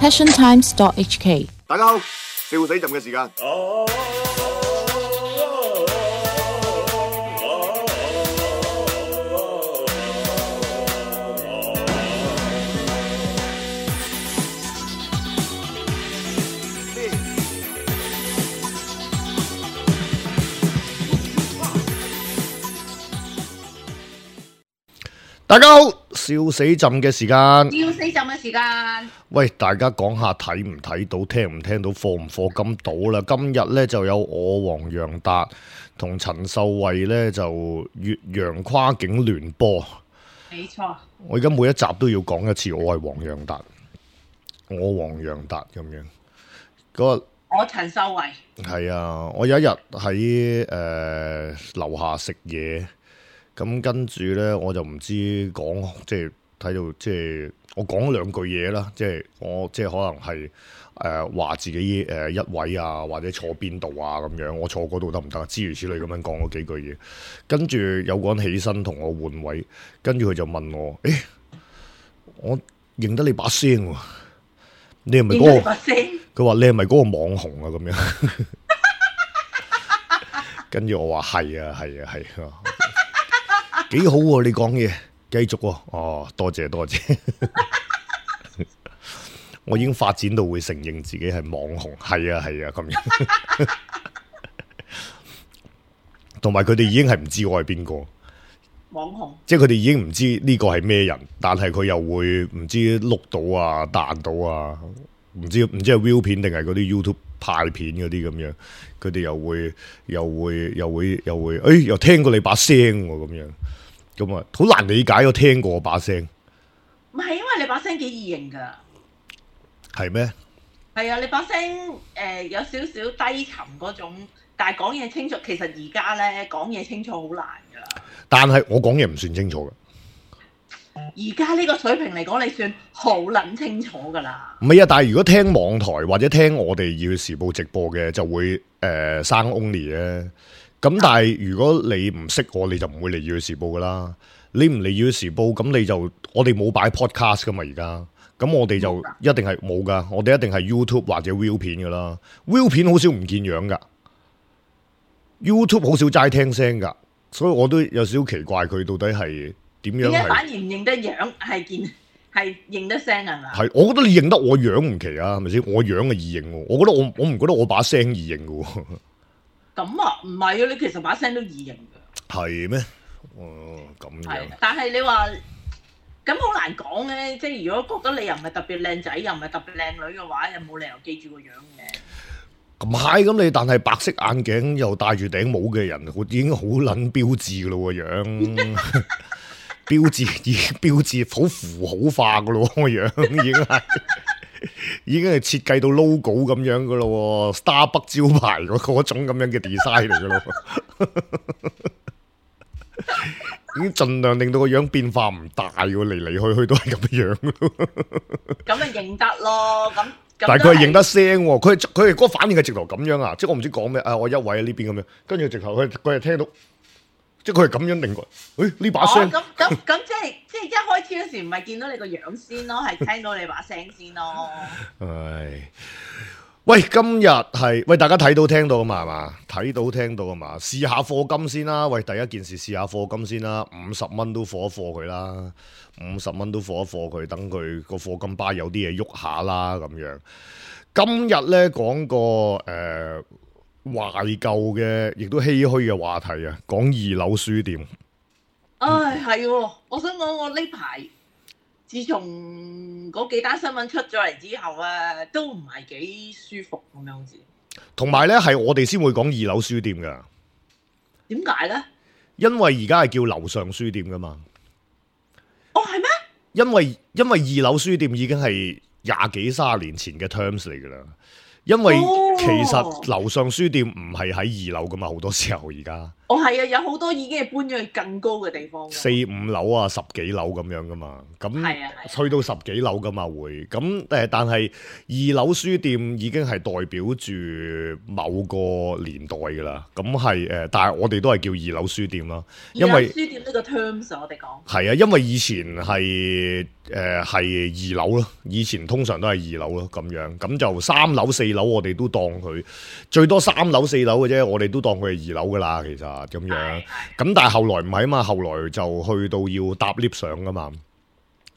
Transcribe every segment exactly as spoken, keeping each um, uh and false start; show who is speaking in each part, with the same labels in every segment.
Speaker 1: passion times dot h k。
Speaker 2: 大家好，笑死朕嘅時間。大家好，笑死朕嘅時間，
Speaker 3: 笑死朕嘅時間。
Speaker 2: 喂，大家講下睇唔睇到，聽唔聽到，課唔課金到啦？今日呢就有我黃洋達同陳秀慧呢就越洋跨境聯播。
Speaker 3: 冇錯。
Speaker 2: 我而家每一集都要講一次，我係黃洋達，我黃洋達咁樣。嗰個
Speaker 3: 我陳秀慧。係
Speaker 2: 啊，我有一日喺誒樓下食嘢。咁跟住呢，我就唔知講，即係睇到即係我講兩句嘢啦，即係我即係可能係誒話自己誒、呃、一位啊，或者坐邊度啊咁樣，我坐嗰度得唔得？諸如此類咁樣講嗰幾句嘢，跟住有個人起身同我換位，跟住佢就問我：誒，我認得你把聲喎，你係咪嗰個？佢話你係咪嗰個網紅啊？咁樣，跟住我話係啊，係啊，係啊。幾好喎、啊！你講嘢繼續喎、啊，哦，多謝多謝，我已經發展到會承認自己係網紅，係啊係啊咁樣，同埋佢哋已經係唔知我係邊個
Speaker 3: 網紅，即
Speaker 2: 係佢哋已經唔知呢個係咩人，但係佢又會唔知碌到啊彈到啊，唔知唔知係 view 片定係嗰啲 YouTube 派片嗰啲咁樣，佢哋又會又會又會又會，誒、哎、又聽過你把聲喎咁樣。咁啊，好難理解，我聽過我把聲。
Speaker 3: 唔係因為你把聲幾易認噶。
Speaker 2: 係咩？
Speaker 3: 係啊，你把聲誒、呃、有少少低沉嗰種，但係講嘢清楚。其實而家咧講嘢清楚好難噶。但
Speaker 2: 係我講嘢唔算清楚噶。
Speaker 3: 而家呢個水平嚟講，你算好撚清楚噶啦。
Speaker 2: 唔係啊，但係如果聽網台或者聽我哋要時報直播嘅，就會誒生 only 咧。咁但係如果你唔識我，你就唔會嚟要時報噶啦。你唔嚟要時報，咁你就我哋冇擺 podcast 噶嘛而家。咁我哋就一定係冇噶，我哋一定係 YouTube 或者 view 片噶啦。view 片好少唔見樣噶 ，YouTube 好少齋聽聲噶，所以我都有少少奇怪佢到底係點樣。點解
Speaker 3: 反而唔認得樣，係見係認得聲啊？
Speaker 2: 係，我覺得你認得我樣唔奇啊，係咪先？我樣係易認喎，我覺得我我唔覺得我把聲易認噶喎。
Speaker 3: 咁啊，唔係啊，你其實把聲都易認嘅。
Speaker 2: 係咩？哦，咁樣。
Speaker 3: 但係你話咁好難講咧，即係如果覺得你又唔係特別靚仔，又唔係特別靚女嘅話，又冇理由記住個樣嘅。
Speaker 2: 咁係咁你，但係白色眼鏡又戴住頂帽嘅人，已經好撚標誌噶咯個樣，標誌已經標誌好符號化噶咯個樣，已經係。已經係設計到 logo 咁樣噶咯 ，Starbucks 招牌嗰嗰種咁樣嘅 design 嚟噶咯，已經盡量令到個樣變化唔大，嚟嚟去去都係咁樣咯。
Speaker 3: 咁咪認得咯，咁
Speaker 2: 但係佢係認得聲，佢佢係嗰個反應係直頭咁樣啊！即係我唔知講咩啊，我一位喺呢邊咁樣，跟住直頭佢佢係聽到。即係佢係咁樣定過，誒呢把聲。
Speaker 3: 咁咁咁即係即係一開始嗰時唔係見到你個樣先咯，係聽到你把聲先咯。唉，
Speaker 2: 喂，今日係喂大家睇到聽到啊嘛係嘛？睇到聽到啊嘛？試下課金先啦，喂第一件事試下課金先啦，五十蚊都課一課佢啦，五十蚊都課一課佢，等佢個課金巴有啲嘢喐下啦咁樣。今日咧講個誒。呃懷舊嘅，亦都唏噓嘅話題啊！講二樓書店。
Speaker 3: 唉，係喎，我想講我呢排，自從嗰幾單新聞出咗嚟之後啊，都唔係幾舒服咁樣好似。
Speaker 2: 同埋咧，係我哋先會講二樓書店噶。
Speaker 3: 點解咧？
Speaker 2: 因為而家係叫樓上書店噶嘛。
Speaker 3: 哦，係咩？
Speaker 2: 因為因為二樓書店已經係廿幾卅年前嘅 terms 嚟噶啦。因為其實樓上書店唔係喺二樓噶嘛，好多時候而家
Speaker 3: 哦，係啊，有好多已經係搬咗去更高嘅地方㗎。
Speaker 2: 四五樓啊，十幾樓咁樣噶嘛，咁
Speaker 3: 係啊係啊
Speaker 2: 去到十幾樓噶嘛會，咁誒但係二樓書店已經係代表住某個年代噶啦，咁係誒，但係我哋都係叫二樓書店啦，因
Speaker 3: 二樓
Speaker 2: 為
Speaker 3: 書店呢個 terms 我哋講
Speaker 2: 係啊，因為以前係誒係二樓咯，以前通常都係二樓咯咁樣，咁就三樓四樓我哋都當佢最多三樓四樓嘅啫，我哋都當佢係二樓噶啦，其實咁樣。咁但係後來唔係啊嘛，後來就去到要搭 lift 上噶嘛，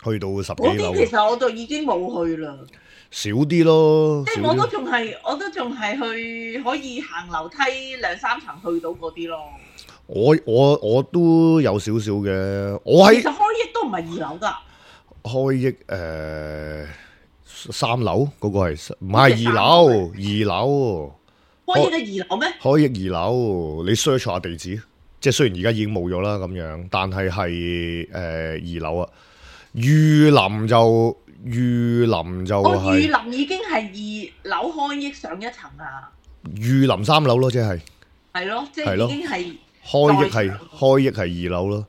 Speaker 2: 去到十幾樓。
Speaker 3: 嗰啲其實我就已經冇去啦，
Speaker 2: 少啲咯，
Speaker 3: 即係我都仲係我都仲係去可以行樓梯兩三層去到嗰啲咯。
Speaker 2: 我我我都有少少嘅，我喺
Speaker 3: 其實開益都唔係二樓㗎。
Speaker 2: 開益誒、呃、三樓嗰、嗰個係唔係二樓？二樓
Speaker 3: 開益嘅二樓咩？
Speaker 2: 開益二樓，你 search 下地址，即係雖然而家已經冇咗啦咁樣，但係係誒二樓啊。御林就御林就
Speaker 3: 我
Speaker 2: 係、
Speaker 3: 御林已經係二樓開益上一層啊。
Speaker 2: 御林三樓咯，即係
Speaker 3: 係咯，即
Speaker 2: 係咯
Speaker 3: 係已經係
Speaker 2: 開益係開益係二樓咯。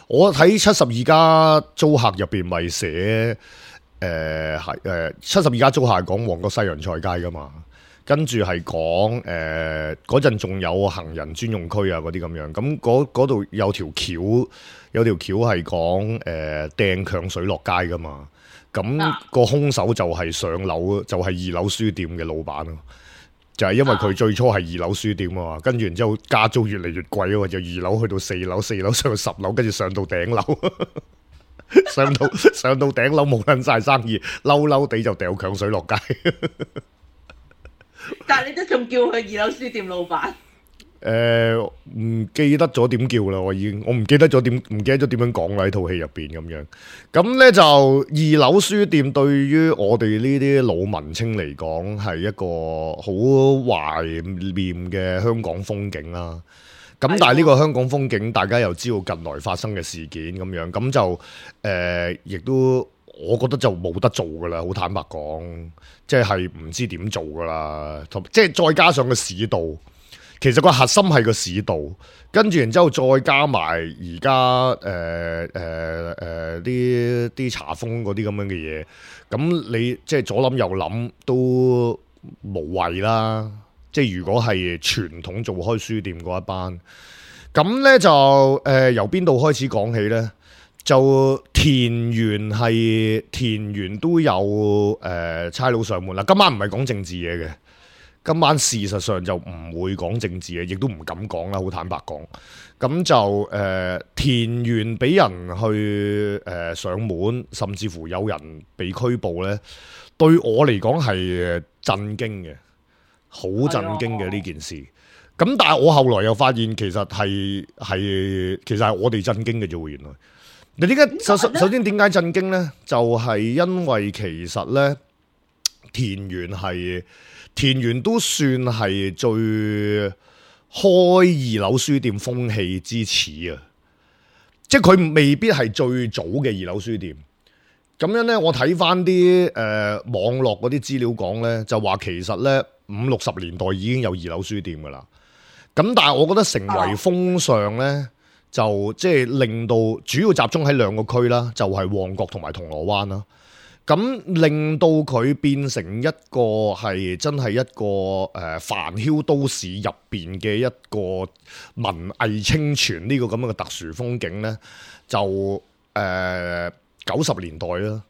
Speaker 2: 我睇七十二家租客入邊咪寫誒係誒七十二家租客係講旺角西洋菜街噶嘛，跟住係講誒嗰陣仲有行人專用區啊嗰啲咁樣，咁嗰度有條橋有條橋係講誒掟強水落街噶嘛，咁、
Speaker 3: 啊、
Speaker 2: 個兇手就係上樓就係、是、二樓書店嘅老闆咯。就係因為佢最初係二樓書店啊嘛，跟住然之後加租越嚟越貴啊嘛，就二樓去到四樓，四樓上到十樓，跟住上到頂樓，上到上到頂樓冇撚晒生意，嬲嬲地就掉強水落街。
Speaker 3: 但係你都仲叫佢二樓書店老闆？
Speaker 2: 誒、呃，唔記得咗點叫啦，我已經我唔記得咗點唔記得咗點樣講啦喺套戲入邊咁樣。咁咧就二樓書店對於我哋呢啲老文青嚟講係一個好懷念嘅香港風景啦。咁但係呢個香港風景，大家又知道近來發生嘅事件咁樣，咁就誒，亦、呃、都我覺得就冇得做噶啦，好坦白講，即係唔知點做噶啦，同即係再加上個市道。其實個核心係個市道，跟住然之後再加埋而家誒誒誒啲啲查封嗰啲咁樣嘅嘢，咁你即係左諗右諗都無謂啦。即係如果係傳統做開書店嗰一班，咁咧就誒、呃、由邊度開始講起咧？就田園係田園都有誒、呃、差佬上門啦。今晚唔係講政治嘢嘅。今晚事實上就唔會講政治嘅，亦都唔敢講啦，好坦白講。咁就誒、呃、田園俾人去誒、呃、上門，甚至乎有人被拘捕呢，對我嚟講係震驚嘅，好震驚嘅呢件事。咁但係我後來又發現其實係係其實係我哋震驚嘅啫喎，原來。你點解首首先點解震驚呢？就係、是、因為其實呢，田園係。田園都算係最開二樓書店風氣之始啊！即係佢未必係最早嘅二樓書店。咁樣呢，我睇翻啲誒網絡嗰啲資料講呢，就話其實呢，五六十年代已經有二樓書店噶啦。咁但係我覺得成為風尚呢，就即係令到主要集中喺兩個區啦，就係、是、旺角同埋銅鑼灣啦。咁令到佢變成一個係真係一個誒、呃、繁囂都市入邊嘅一個文藝清泉呢個咁樣嘅特殊風景呢，就誒九十年代啦。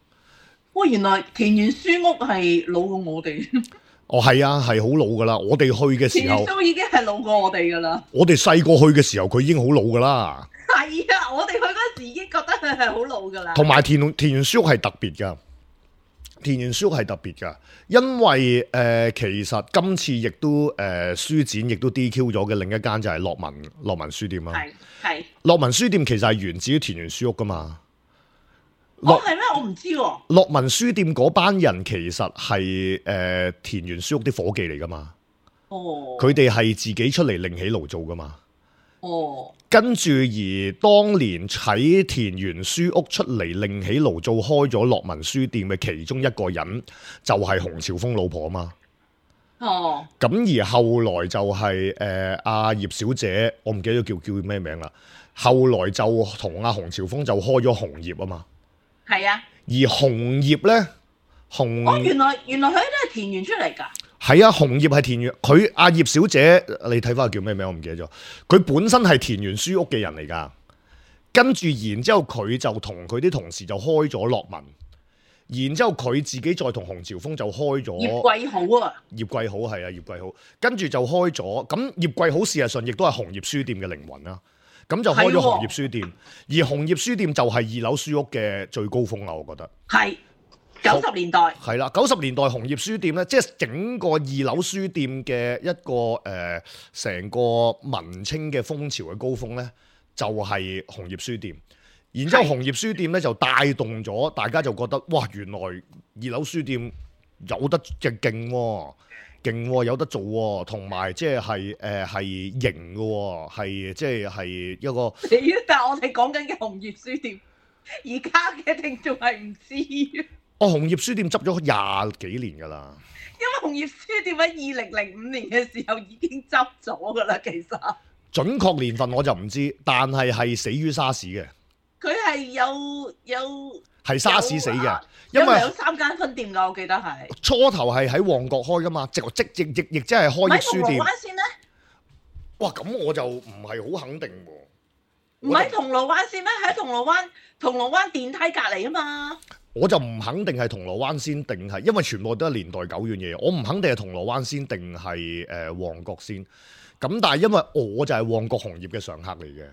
Speaker 3: 哇！原來田園書屋係老過我哋。
Speaker 2: 哦，係啊，係好老噶啦。我哋去嘅時候，
Speaker 3: 田園書屋已經係老過我哋噶啦。
Speaker 2: 我哋細個去嘅時候，佢已經好老噶啦。係
Speaker 3: 啊，我哋去嗰時已經覺得佢係好老噶啦。
Speaker 2: 同埋田田園書屋係特別噶。田園書屋係特別㗎，因為誒、呃、其實今次亦都誒、呃、書展亦都 D Q 咗嘅另一間就係樂文樂文書店啦。係係樂文書店其實係源自於田園書屋㗎嘛。
Speaker 3: 哦，係咩？我唔知喎、啊。
Speaker 2: 樂文書店嗰班人其實係誒、呃、田園書屋啲伙計嚟㗎嘛。哦。佢哋係自己出嚟另起爐做㗎嘛。哦。跟住而當年喺田園書屋出嚟另起爐做開咗樂文書店嘅其中一個人，就係洪朝豐老婆嘛。
Speaker 3: 哦，
Speaker 2: 咁而後來就係誒阿葉小姐，我唔記得咗叫叫咩名啦。後來就同阿洪朝豐就開咗紅葉啊嘛。
Speaker 3: 係啊。
Speaker 2: 而紅葉咧，紅
Speaker 3: 哦，原來原來佢都係田園出嚟㗎。
Speaker 2: 係啊，紅葉係田園，佢阿葉小姐，你睇翻佢叫咩名？我唔記得咗。佢本身係田園書屋嘅人嚟㗎，跟住然之後佢就同佢啲同事就開咗樂文，然之後佢自己再同洪朝豐就開咗
Speaker 3: 葉桂好啊，
Speaker 2: 葉桂好係啊，葉桂好，跟住就開咗。咁葉桂好事實上亦都係紅葉書店嘅靈魂啦。咁就開咗紅葉書店，而紅葉書店就係二樓書屋嘅最高峰啦，我覺得。
Speaker 3: 係。九十年代
Speaker 2: 係啦，九十年代紅葉書店咧，即係整個二樓書店嘅一個誒，成、呃、個文青嘅風潮嘅高峰咧，就係、是、紅葉書店。然之後紅葉書店咧就帶動咗大家就覺得，哇！原來二樓書店有得嘅勁喎，勁喎，有得做喎，同埋即係係誒係型嘅喎，係即係係一個。
Speaker 3: 但係我哋講緊嘅紅葉書店，而家嘅聽眾係唔知。
Speaker 2: 哦，紅葉書店執咗廿幾年㗎啦。
Speaker 3: 因為紅葉書店喺二零零五年嘅時候已經執咗㗎啦，其實。準
Speaker 2: 確年份我就唔知，但係係死於沙士嘅。
Speaker 3: 佢係有有
Speaker 2: 係沙士死嘅，
Speaker 3: 因為有三間分店㗎，我記得係。
Speaker 2: 初頭係喺旺角開㗎嘛，即即亦亦亦即係開業書店。
Speaker 3: 唔係銅鑼灣先咧？
Speaker 2: 哇，咁我就唔係好肯定喎。
Speaker 3: 唔係銅鑼灣先咩？喺銅鑼灣銅鑼灣電梯隔離啊嘛。
Speaker 2: 我就唔肯定係銅鑼灣先定係，因為全部都係年代久遠嘢，我唔肯定係銅鑼灣先定係誒旺角先。咁但係因為我就係旺角紅葉嘅常客嚟嘅。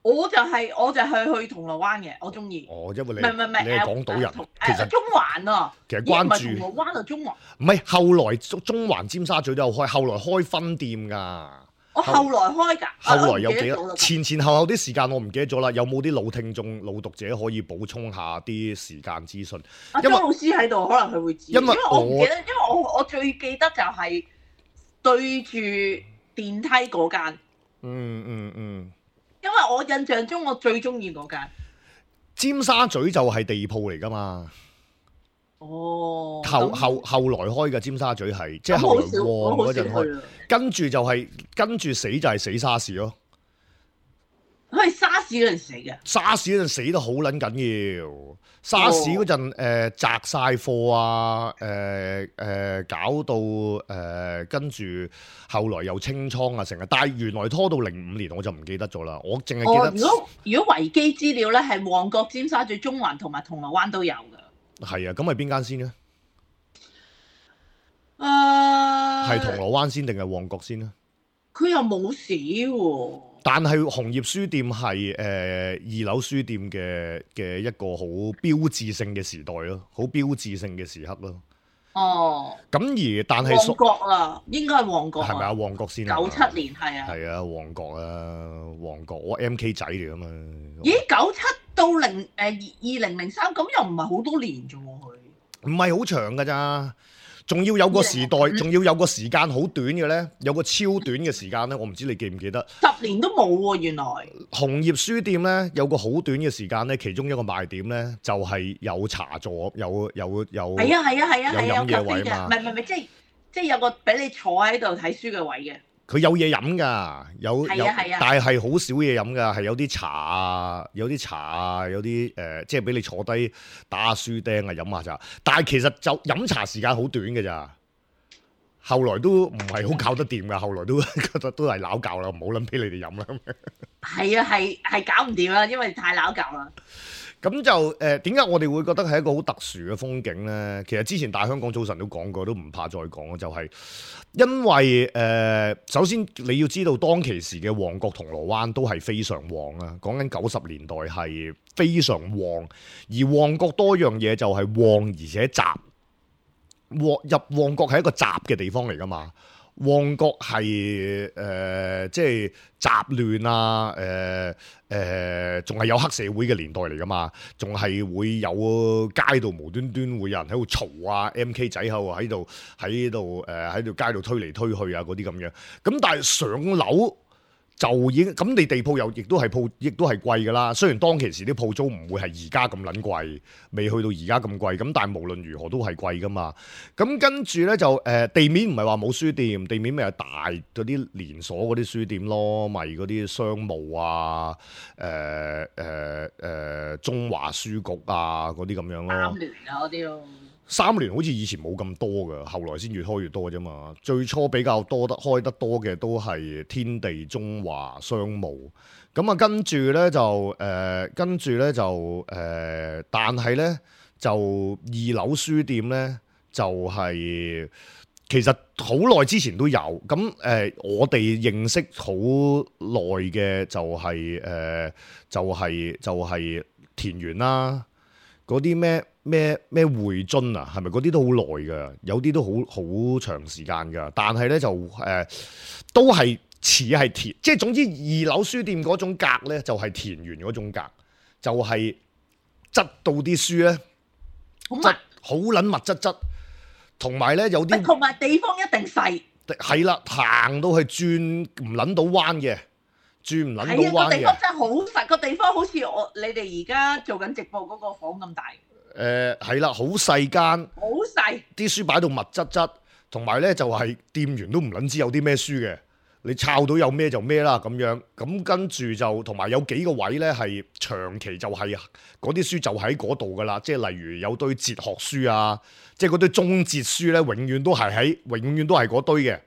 Speaker 2: 我就係、是、我就係去銅鑼灣嘅，我中意。哦，因為你唔係唔係唔係，你係港島人，呃、其實中環啊，其實關注銅鑼灣啊，中環。唔係後來中中環尖沙咀都有開，後來開分店㗎。我後來開㗎，後來有幾多？前前後後啲時間我唔記得咗啦。有冇啲老聽眾、老讀者可以補充下啲時間資訊？阿張老師喺度，可能佢會知。因為我唔記得，因為我我最記得就係對住電梯嗰間。嗯嗯嗯。因為我印象中我最中意嗰間。尖沙咀就係地鋪嚟㗎嘛。哦。後後後來開嘅尖沙咀係，即係後來旺嗰陣開。跟住就係、是、跟住死就係死沙士咯。佢係沙士嗰陣死嘅。沙士嗰陣死得好撚緊要。沙士嗰陣誒砸晒貨啊，誒、呃、誒、呃、搞到誒、呃、跟住後來又清倉啊成日，但係原來拖到零五年我就唔記得咗啦。我淨係記得。哦、如果如果維基資料咧係旺角、尖沙咀、中環同埋銅鑼灣都有㗎。係啊，咁係邊間先咧？誒、uh，係銅鑼灣先定係旺角先咧？佢又冇寫喎。但係紅葉書店係誒、呃、二樓書店嘅嘅一個好標誌性嘅時代咯，好標誌性嘅時刻咯。哦。咁而但係旺角啦，應該係旺角。係咪啊？旺角先啊？九七年係啊。係啊，旺角啊，旺角，我 M K 仔嚟㗎嘛。咦？九七到零誒二二零零三，咁又唔係好多年啫喎，佢。唔係好長㗎咋。仲要有個時代，仲要有個時間好短嘅咧，有個超短嘅時間咧，我唔知你記唔記得？十年都冇喎，原來。紅葉書店咧有個好短嘅時間咧，其中一個賣點咧就係有茶座，有有有。係啊係啊係啊係啊，有飲嘢位嘛。唔係唔係唔係，即係即係有個俾你坐喺度睇書嘅位嘅。佢有嘢飲㗎，有有，但係係好少嘢飲㗎，係有啲茶啊，有啲茶啊，有啲誒、呃，即係俾你坐低打下書釘啊，飲下茶。但係其實就飲茶時間好短㗎咋，後來都唔係好搞得掂㗎，後來都覺得都係鬧教啦，唔好諗俾你哋飲啦。係啊，係係搞唔掂啦，因為太鬧教啦。咁就誒點解我哋會覺得係一個好特殊嘅風景咧？其實之前大香港早晨都講過，都唔怕再講，就係、是、因為誒、呃、首先你要知道當其時嘅旺角銅鑼灣都係非常旺啊，講緊九十年代係非常旺，而旺角多樣嘢就係旺而且雜，旺入旺角係一個雜嘅地方嚟㗎嘛。旺角係誒即係雜亂啊，誒誒仲係有黑社會嘅年代嚟㗎嘛，仲係會有街道無端端會有人喺度嘈啊 ，M K 仔喺度喺度喺度誒喺度街度推嚟推去啊嗰啲咁樣。咁但係上樓就已經咁，你地鋪又亦都係鋪，亦都係貴㗎啦。雖然當其時啲鋪租唔會係而家咁撚貴，未去到而家咁貴，咁但係無論如何都係貴㗎嘛。咁跟住咧就誒、呃、地面唔係話冇書店，地面咪係大嗰啲連鎖嗰啲書店咯，咪嗰啲商務啊、誒誒誒中華書局啊嗰啲咁樣咯。
Speaker 3: 三聯啊嗰啲咯。
Speaker 2: 三聯好似以前冇咁多㗎，後來先越開越多啫嘛。最初比較多得開得多嘅都係天地、中華、商務。咁啊，跟住咧就誒、呃，跟住咧就誒、呃，但係咧就二樓書店咧就係、是、其實好耐之前都有。咁誒、呃，我哋認識好耐嘅就係、是、誒、呃，就係、是、就係、是、田園啦。嗰啲咩咩咩匯樽啊，係咪嗰啲都好耐㗎？有啲都好好長時間㗎。但係咧就誒、呃，都係似係田，即係總之二樓書店嗰種格咧，就係、是、田園嗰種格，就係、是、質到啲書咧，質好撚密質質，同埋咧有啲
Speaker 3: 同埋地方一定細，
Speaker 2: 係啦，行到去轉唔撚到彎嘅。轉唔撚到彎嘅，
Speaker 3: 係啊，個地方真係好細，個地方好似我你哋而家做緊直播嗰個房咁大。
Speaker 2: 誒係啦，好細間，
Speaker 3: 好細，
Speaker 2: 啲書擺到密質質，同埋咧就係、是、店員都唔撚知有啲咩書嘅，你抄到有咩就咩啦咁樣。咁跟住就同埋有幾個位咧係長期就係嗰啲書就喺嗰度噶啦，即係例如有堆哲學書啊，即係嗰堆中哲書咧，永遠都係喺，永遠都係嗰堆嘅。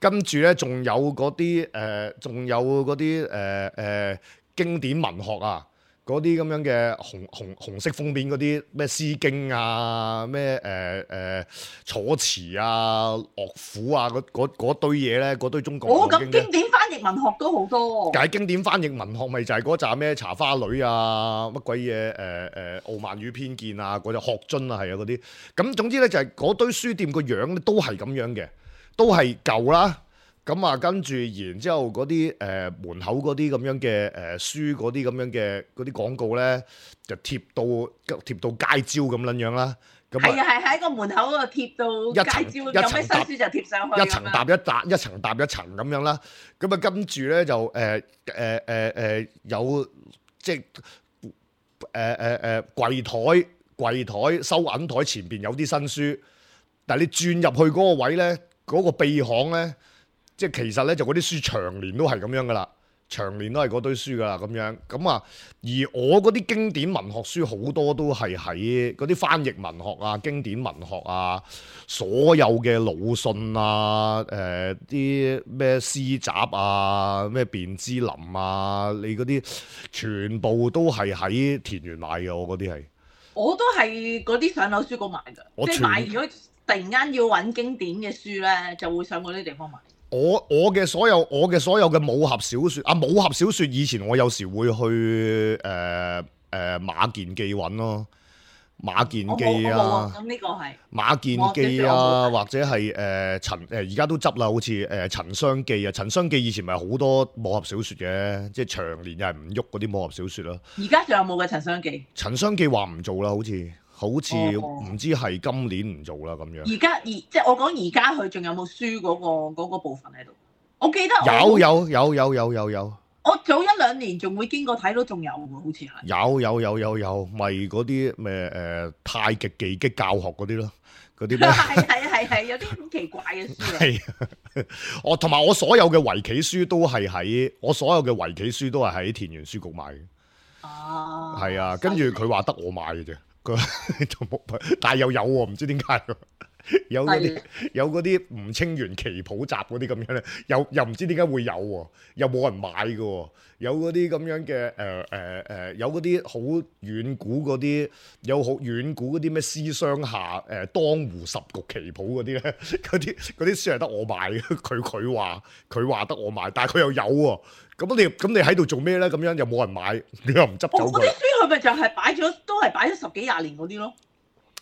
Speaker 2: 跟住咧，仲有嗰啲誒，仲、呃、有嗰啲誒誒經典文學啊，嗰啲咁樣嘅紅紅紅色封面嗰啲咩《詩經》啊，咩誒誒楚辭啊、樂府啊，嗰堆嘢咧，嗰堆中國
Speaker 3: 哦，咁經典翻譯文學都好多。
Speaker 2: 解經典翻譯文學咪就係嗰紮咩茶花女啊，乜鬼嘢誒誒傲慢與偏見啊，嗰隻學津啊，係啊嗰啲。咁總之咧就係嗰堆書店個樣咧都係咁樣嘅。都係舊啦，咁啊跟住然之後嗰啲誒門口嗰啲咁樣嘅誒、呃、書嗰啲咁樣嘅嗰啲廣告咧，就貼到貼到街招咁撚樣啦。咁
Speaker 3: 係啊係喺個門口嗰度貼到街招，有咩新書就貼上去。
Speaker 2: 一層搭一搭，一層搭一層咁樣啦。咁啊跟住咧就誒誒誒誒有即係誒誒誒櫃台櫃台收銀台前邊有啲新書，但係你轉入去嗰個位咧。嗰個秘巷咧，即係其實咧就嗰啲書長年都係咁樣噶啦，長年都係嗰堆書噶啦咁樣。咁啊，而我嗰啲經典文學書好多都係喺嗰啲翻譯文學啊、經典文學啊、所有嘅魯迅啊、誒啲咩詩集啊、咩卞之琳啊，你嗰啲全部都係喺田園買嘅。我嗰啲係，我
Speaker 3: 都係嗰啲上樓書局買㗎，即係買咗。突然間要揾經典嘅書咧，就會上嗰啲地方買。
Speaker 2: 我我嘅所有我嘅所有嘅武俠小説啊，武俠小説以前我有時會去誒誒、呃呃、馬健記揾咯，馬健記啊，
Speaker 3: 咁呢個係
Speaker 2: 馬健記啊，或者係誒陳誒而家都執啦，好似誒陳商記啊，陳商記以前咪好多武俠小説嘅，即係長年又係唔喐嗰啲武俠小説咯。
Speaker 3: 而家仲有冇嘅陳商記？
Speaker 2: 陳商記話唔做啦，好似。好似唔知係今年唔做啦咁樣。
Speaker 3: 而家而即係我講而家佢仲有冇書嗰、嗰個嗰個部分喺度？我記得
Speaker 2: 有有有有有有有。
Speaker 3: 我早一兩年仲會經過睇到仲有喎，好似係。有
Speaker 2: 有有有有，咪嗰啲咩誒太極技擊教學嗰啲咯，嗰啲咩？
Speaker 3: 係係係係，有啲好奇怪嘅書。
Speaker 2: 係，我同埋我所有嘅圍棋書都係喺我所有嘅圍棋書都係喺田園書局買嘅。
Speaker 3: 哦。
Speaker 2: 係啊，跟住佢話得我買嘅啫。但係又有喎，唔知點解有嗰啲有嗰啲吳清源棋譜集嗰啲咁樣咧，又又唔知點解會有喎，又冇人買嘅喎，有嗰啲咁樣嘅誒誒誒，有嗰啲好遠古嗰啲，有好遠古嗰啲咩詩商下誒、呃、當湖十局棋譜嗰啲咧，嗰啲嗰啲書係得我買嘅，佢佢話佢話得我買，但係佢又有喎，咁你咁你喺度做咩咧？咁樣又冇人買，你又唔執走佢。
Speaker 3: 嗰啲書佢咪就係擺咗，都係擺咗十幾廿年嗰啲咯。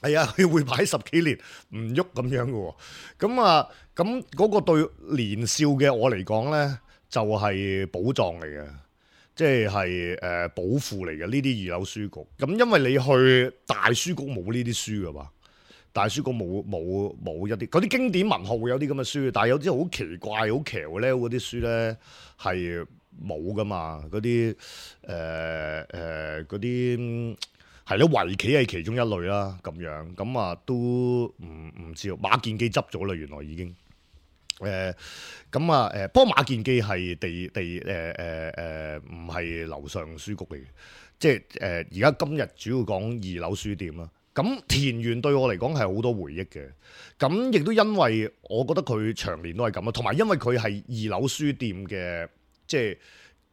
Speaker 2: 係啊，佢會擺十幾年唔喐咁樣嘅喎。咁啊，咁嗰個對年少嘅我嚟講咧，就係寶藏嚟嘅，即係係誒寶庫嚟嘅呢啲二樓書局。咁因為你去大書局冇呢啲書嘅嘛，大書局冇冇冇一啲嗰啲經典文學會有啲咁嘅書，但係有啲好奇怪、好騎呢嗰啲書咧係冇噶嘛，嗰啲誒誒嗰啲係咯，圍棋係其中一類啦，咁樣咁啊都唔唔知馬健基執咗啦，原來已經誒咁啊誒，不過馬健基係地地誒誒誒唔係樓上書局嚟嘅，即係誒而家今日主要講二樓書店啦。咁田園對我嚟講係好多回憶嘅，咁亦都因為我覺得佢長年都係咁啦，同埋因為佢係二樓書店嘅即係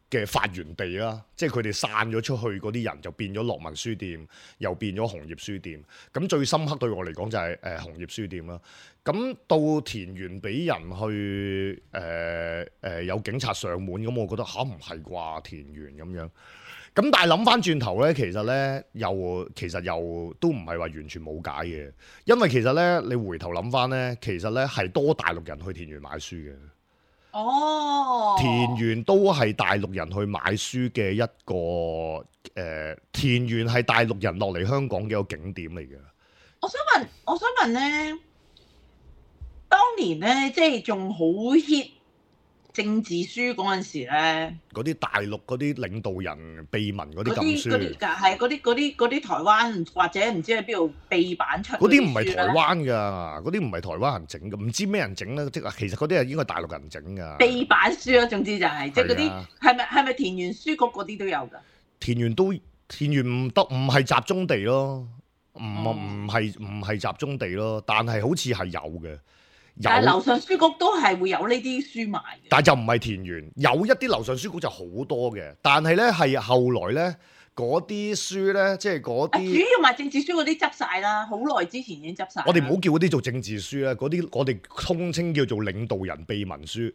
Speaker 2: 嘅發源地啦，即係佢哋散咗出去嗰啲人就變咗樂文書店，又變咗紅葉書店。咁最深刻對我嚟講就係誒紅葉書店啦。咁到田園俾人去誒誒、呃呃、有警察上門，咁我覺得吓唔係啩田園咁樣。咁但係諗翻轉頭咧，其實咧又其實又都唔係話完全冇解嘅，因為其實咧你回頭諗翻咧，其實咧係多大陸人去田園買書嘅。
Speaker 3: 哦，
Speaker 2: 田園都係大陸人去買書嘅一個誒、呃，田園係大陸人落嚟香港嘅一個景點嚟嘅。
Speaker 3: 我想問，我想問咧，當年咧即係仲好 hit 政治書嗰陣時咧，
Speaker 2: 嗰啲大陸嗰啲領導人秘聞嗰啲禁書，
Speaker 3: 嗰啲係嗰啲嗰啲嗰啲台灣或者唔知喺邊度秘版出
Speaker 2: 嗰啲唔係台灣㗎，嗰啲唔係台灣人整嘅，唔知咩人整咧，即係其實嗰啲係應該大陸人整㗎。
Speaker 3: 秘版書啊，總之就係、是、即係嗰啲係咪係咪田園書局嗰啲都有㗎？
Speaker 2: 田園都田園唔得，唔係集中地咯，唔唔係唔係集中地咯，但係好似係有嘅。
Speaker 3: 但係樓上書局都係會有呢啲書賣嘅，
Speaker 2: 但係就唔係田園，有一啲樓上書局就好多嘅，但係咧係後來咧嗰啲書咧，即係嗰啲
Speaker 3: 主要賣政治書嗰啲執晒啦，好耐之前已經執晒。
Speaker 2: 我哋唔好叫嗰啲做政治書啦，嗰啲我哋通稱叫做領導人秘聞書。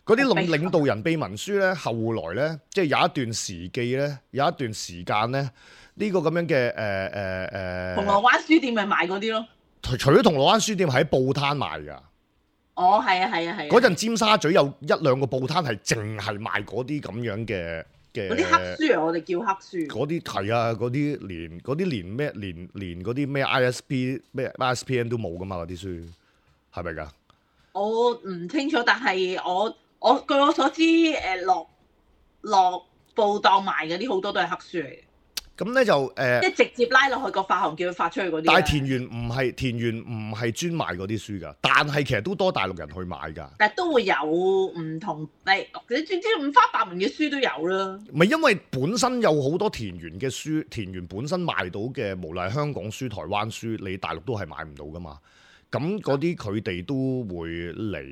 Speaker 2: 嗰啲領領導人秘聞書咧，後來咧即係有一段時記咧，有一段時間咧，呢、呢個咁樣嘅誒誒誒，呃、銅
Speaker 3: 鑼灣書店咪賣嗰啲咯。
Speaker 2: 除除咗銅鑼灣書店喺報攤賣㗎。
Speaker 3: 哦，係啊，係啊，係啊！
Speaker 2: 嗰陣尖沙咀有一兩個報攤係淨係賣嗰啲咁樣嘅嘅。
Speaker 3: 嗰啲黑書啊，我哋叫黑書。嗰
Speaker 2: 啲係啊，嗰啲連嗰啲連咩連連嗰啲咩 I S P 咩 I S P N 都冇噶嘛，嗰啲書係咪㗎？
Speaker 3: 我唔清楚，但係我我據我所知，誒落落報檔賣嗰啲好多都係黑書嚟嘅。
Speaker 2: 咁咧就誒，即
Speaker 3: 係直接拉落去個發行，叫佢發出去嗰啲。
Speaker 2: 但係田園唔係田園唔係專賣嗰啲書㗎，但係其實都多大陸人去買㗎。
Speaker 3: 但係都會有唔同，誒你總之五花八門嘅書都有啦。
Speaker 2: 唔係因為本身有好多田園嘅書，田園本身賣到嘅，無論係香港書、台灣書，你大陸都係買唔到㗎嘛。咁嗰啲佢哋都會嚟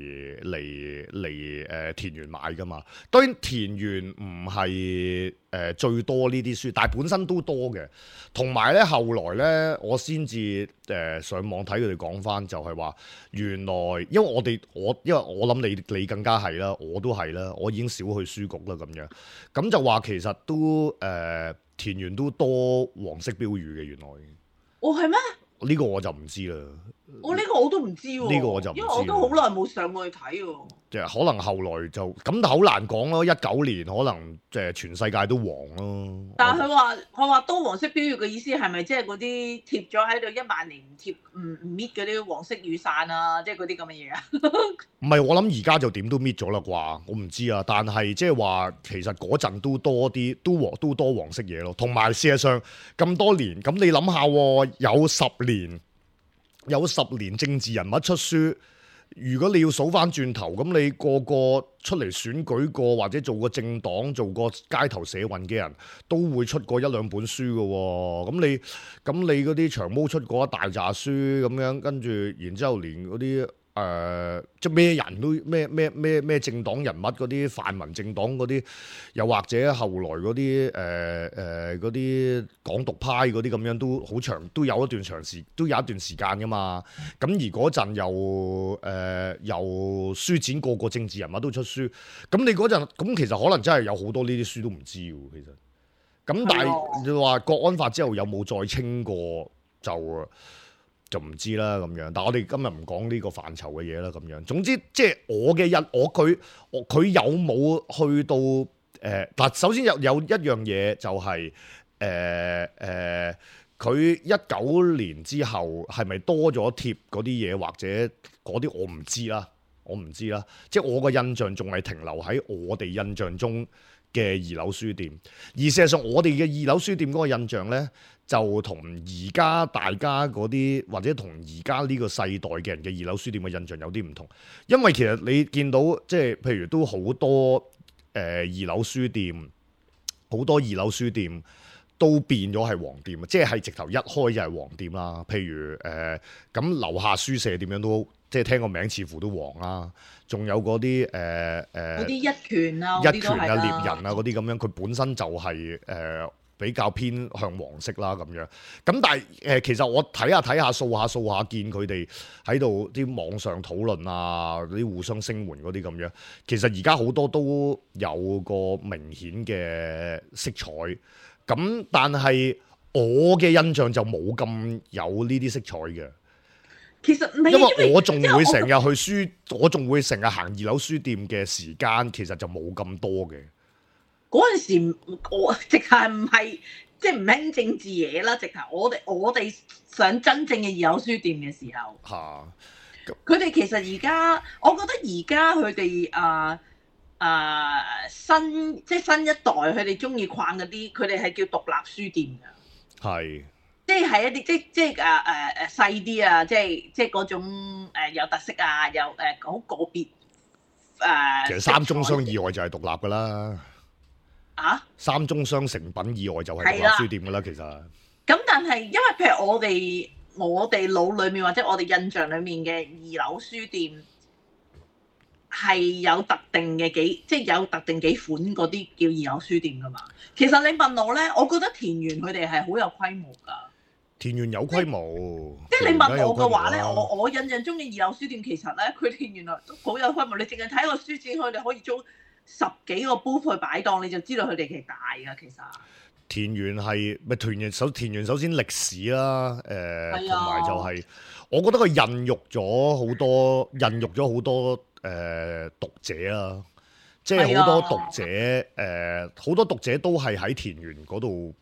Speaker 2: 嚟嚟誒田園買㗎嘛。當然田園唔係誒最多呢啲書，但係本身都多嘅。同埋咧後來咧，我先至誒上網睇佢哋講返，就係話原來因為我哋我因為我諗你你更加係啦，我都係啦，我已經少去書局啦咁樣。咁就話其實都誒、呃、田園都多黃色標語嘅原來。
Speaker 3: 哦，係咩？
Speaker 2: 呢個我就唔知啦。
Speaker 3: 我呢、哦呢個我都唔知喎。呢個我就唔知，因為我都好耐冇上過去睇喎。
Speaker 2: 即係可能後來就咁，但好難講咯。一九年可能即係全世界都黃咯。
Speaker 3: 但係佢話佢話多黃色標語嘅意思係咪即係嗰啲貼咗喺度一萬年唔貼唔唔搣嗰啲黃色雨傘啊？即係嗰啲咁嘅嘢啊？
Speaker 2: 唔係，我諗而家就點都搣咗啦啩？我唔知啊。但係即係話其實嗰陣都多啲都黃都多黃色嘢咯。同埋事實上咁多年，咁你諗下喎，有十年。有十年政治人物出書，如果你要數翻轉頭，咁你個個出嚟選舉過或者做過政黨、做過街頭社運嘅人都會出過一兩本書嘅喎。咁你咁你嗰啲長毛出過一大紮書咁樣，跟住然之後連嗰啲誒即係咩人都咩咩咩咩政黨人物嗰啲泛民政黨嗰啲，又或者後來嗰啲誒誒嗰啲港獨派嗰啲咁樣都好長，都有一段長時都有一段時間噶嘛。咁而嗰陣又誒、呃、又書展個個政治人物都出書，咁你嗰陣咁其實可能真係有好多呢啲書都唔知喎，其實。咁但係你話國安法之後有冇再清過就？就唔知啦咁樣，但係我哋今日唔講呢個範疇嘅嘢啦咁樣。總之即係我嘅印，我佢我佢有冇去到誒嗱、呃？首先有有一樣嘢就係誒誒，佢一九年之後係咪多咗貼嗰啲嘢，或者嗰啲我唔知啦，我唔知啦。即係我個印象仲係停留喺我哋印象中嘅二樓書店。而事實上，我哋嘅二樓書店嗰個印象呢，就同而家大家嗰啲或者同而家呢個世代嘅人嘅二樓書店嘅印象有啲唔同。因為其實你見到即係譬如都好多誒、呃、二樓書店，好多二樓書店都變咗係黃店，即係直頭一開就係黃店啦。譬如誒咁樓下書舍點樣都即係聽個名似乎都黃啦。仲有嗰啲誒誒
Speaker 3: 嗰啲一拳啊、
Speaker 2: 一拳啊、獵人啊嗰啲咁樣，佢本身就係、是、誒、呃、比較偏向黃色啦咁樣。咁但係誒、呃、其實我睇下睇下掃下掃下，見佢哋喺度啲網上討論啊，啲互相聲援嗰啲咁樣。其實而家好多都有個明顯嘅色彩。咁但係我嘅印象就冇咁有呢啲色彩嘅。
Speaker 3: 其實
Speaker 2: 因為我仲會成日去書，我仲會成日行二樓書店嘅時間，其實就冇咁多嘅。
Speaker 3: 嗰陣時我直頭唔係即係唔興政治嘢啦，直頭我哋我哋上真正嘅二樓書店嘅時候，嚇佢哋其實而家，我覺得而家佢哋啊啊新即係新一代，佢哋中意逛嗰啲，佢哋係叫獨立書店㗎。係。即係一啲即即係誒誒誒細啲啊！即係即係嗰種誒有特色啊，有誒好個別誒。呃、
Speaker 2: 其實三中商以外就係獨立㗎啦。
Speaker 3: 啊？三
Speaker 2: 中商成品以外就係獨立書店㗎啦，其實。
Speaker 3: 咁但係因為譬如我哋我哋腦裡面或者我哋印象裡面嘅二樓書店係有特定嘅幾即係有特定幾款嗰啲叫二樓書店㗎嘛。其實你問我咧，我覺得田園佢哋係好有規模㗎。
Speaker 2: 田園有規模，
Speaker 3: 即係你問我嘅話咧，我我印象中嘅二樓書店其實咧，佢哋原來都好有規模。你淨係睇個書展，佢哋可以租十幾個 booth 去擺檔，你就知道佢哋其實大㗎。其實
Speaker 2: 田園係咪田園首田園首先歷史啦，誒同埋就係、是、我覺得佢孕育咗好多孕育咗好多誒、呃、讀者啦，即係好多讀者誒好、呃、多讀者都係喺田園嗰度，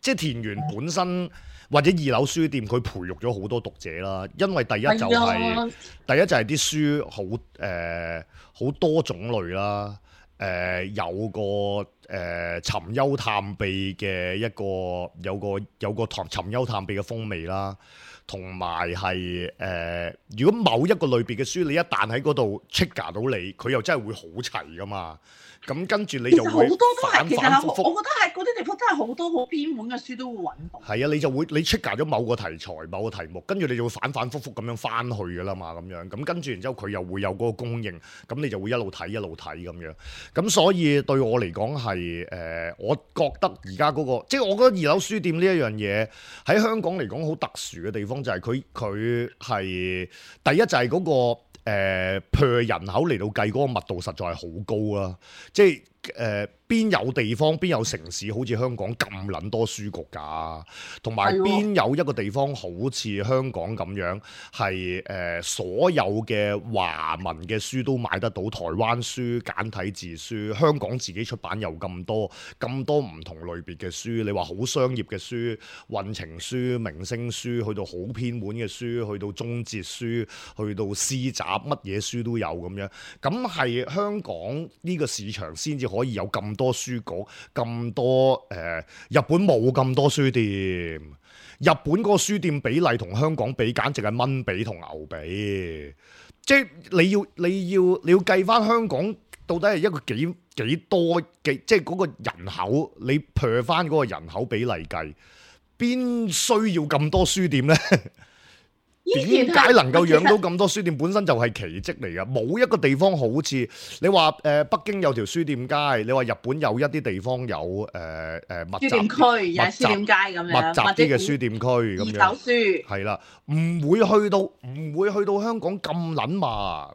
Speaker 2: 即係田園本身。或者二樓書店佢培育咗好多讀者啦，因為第一就係、是、第一就係啲書好誒好多種類啦，誒、呃、有個誒、呃、尋幽探秘嘅一個有個有個尋尋幽探秘嘅風味啦，同埋係誒如果某一個類別嘅書你一旦喺嗰度 trigger 到你，佢又真係會好齊噶嘛。咁跟住你就會反反覆覆，
Speaker 3: 我覺得係嗰啲地方真係好多好偏門嘅書都會揾到。
Speaker 2: 係啊，你就會你 trigger咗某個題材、某個題目，跟住你就會反反覆覆咁樣翻去㗎啦嘛，咁樣咁跟住然之後佢又會有嗰個供應，咁你就會一路睇一路睇咁樣。咁所以對我嚟講係誒，我覺得而家嗰個即係我覺得二樓書店呢一樣嘢喺香港嚟講好特殊嘅地方就係佢佢係第一就係嗰個。誒 per 人口嚟到計嗰個密度實在係好高啦，即係誒邊有地方邊有城市好似香港咁撚多書局㗎，同埋邊有一個地方好似香港咁樣係誒、呃、所有嘅華文嘅書都買得到，台灣書、簡體字書，香港自己出版又咁多咁多唔同類別嘅書，你話好商業嘅書、運程書、明星書，去到好偏門嘅書，去到中哲書，去到詩集，乜嘢書都有咁樣，咁係香港呢個市場先至可以有咁多書局，咁多誒、呃，日本冇咁多書店，日本嗰個書店比例同香港比，簡直係蚊比同牛比，即係你要你要你要計翻香港到底係一個幾幾多幾，即係嗰個人口，你 per 翻嗰個人口比例計，邊需要咁多書店呢？點解能夠養到咁多書店？本身就係奇蹟嚟㗎，冇一個地方好似你話誒、呃、北京有條書店街，你話日本有一啲地方有誒誒、呃、密集
Speaker 3: 書店區，有書店街咁樣，
Speaker 2: 密集啲嘅書店區咁樣，
Speaker 3: 二手書
Speaker 2: 係啦，唔會去到唔會去到香港咁撚密。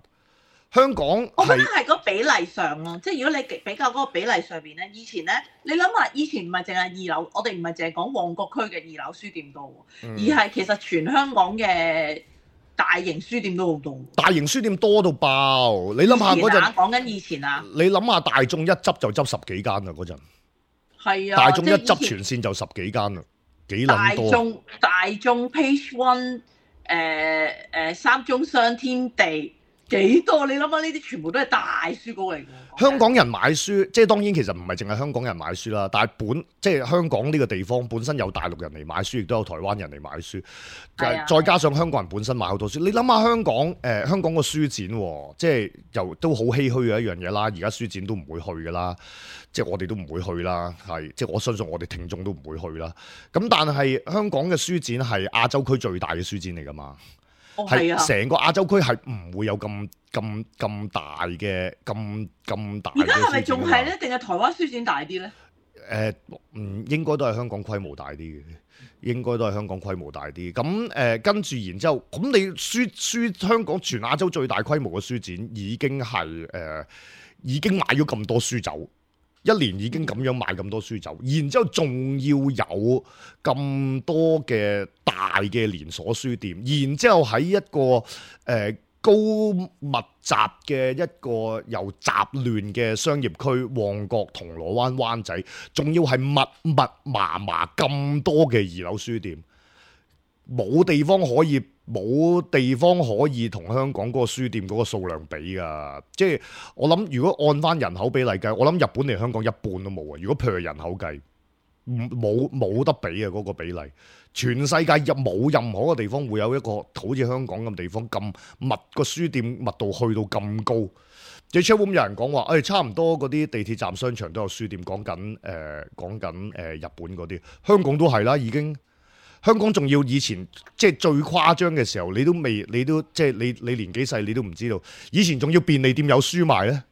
Speaker 2: 香港
Speaker 3: 我覺得係個比例上咯，即係如果你比較嗰個比例上邊咧，以前咧，你諗下，以前唔係淨係二樓，我哋唔係淨係講旺角區嘅二樓書店多，嗯、而係其實全香港嘅大型書店都好多。大型書店多到爆，你諗下嗰陣講緊以前啊，
Speaker 2: 你諗下大眾一執就執十幾間啦嗰陣，
Speaker 3: 係啊，
Speaker 2: 大眾一執全線就十幾間啦，幾撚多？大眾
Speaker 3: 大眾 Page One 誒誒三中商天地。幾多？你諗下呢啲全部都係大書稿嚟㗎。
Speaker 2: 香港人買書，即係當然其實唔係淨係香港人買書啦，但係本即係香港呢個地方本身有大陸人嚟買書，亦都有台灣人嚟買書，啊、再加上香港人本身買好多書。你諗下香港誒、呃、香港個書展、哦，即係又都好唏噓嘅一樣嘢啦。而家書展都唔會去㗎啦，即係我哋都唔會去啦，係即係我相信我哋聽眾都唔會去啦。咁但係香港嘅書展係亞洲區最大嘅書展嚟㗎嘛。係成個亞洲區係唔會有咁咁咁大嘅咁咁大嘅書展。而家係咪仲係咧？定係台灣書展大啲咧？誒，嗯，應該都係香港規模大啲嘅，應該都係香港規模大啲。咁誒，跟住然之後，咁你書書香港全亞洲最大規模嘅書展已經係誒、呃、已經買咗咁多書走。一年已經咁樣買咁多書走，然之後仲要有咁多嘅大嘅連鎖書店，然之後喺一個誒、呃、高密集嘅一個又雜亂嘅商業區，旺角、銅鑼灣、灣仔，仲要係密密麻麻咁多嘅二樓書店，冇地方可以。冇地方可以同香港嗰個書店嗰個數量比㗎，即係我諗，如果按翻人口比例計，我諗日本嚟香港一半都冇啊！如果譬如人口計，冇冇得比啊嗰個比例，全世界入冇任何一個地方會有一個好似香港咁地方咁密，個書店密度去到咁高。即係 chatroom 有人講話，誒、哎、差唔多嗰啲地鐵站、商場都有書店，講緊誒講緊誒日本嗰啲，香港都係啦，已經。香港仲要以前即係最誇張嘅時候，你都未，你都即係你你年紀細，你都唔知道。以前仲要便利店有書賣咧，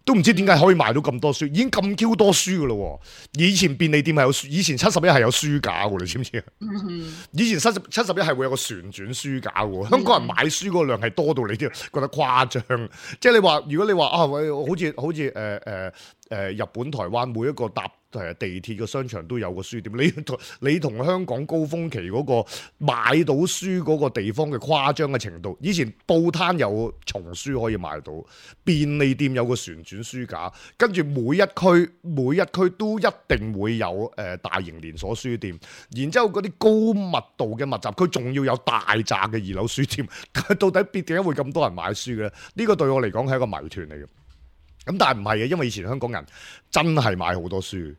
Speaker 2: 都唔知點解可以賣到咁多書，已經咁 Q 多書噶咯。以前便利店係有書，以前七十一係有書架噶，你知唔知啊？以前七十七十一係會有個旋轉書架噶。香港人買書嗰個量係多到你都覺得誇張。即係你話，如果你話啊，喂，好似好似誒誒誒日本、台灣每一個搭誒地鐵嘅商場都有個書店，你同你同香港高峰期嗰個買到書嗰個地方嘅誇張嘅程度，以前報攤有叢書可以買到，便利店有個旋轉書架，跟住每一區每一區都一定會有誒、呃、大型連鎖書店，然之後嗰啲高密度嘅密集區仲要有大扎嘅二樓書店，到底點解會咁多人買書嘅咧？呢、呢個對我嚟講係一個謎團嚟嘅。咁但係唔係嘅，因為以前香港人真係買好多書，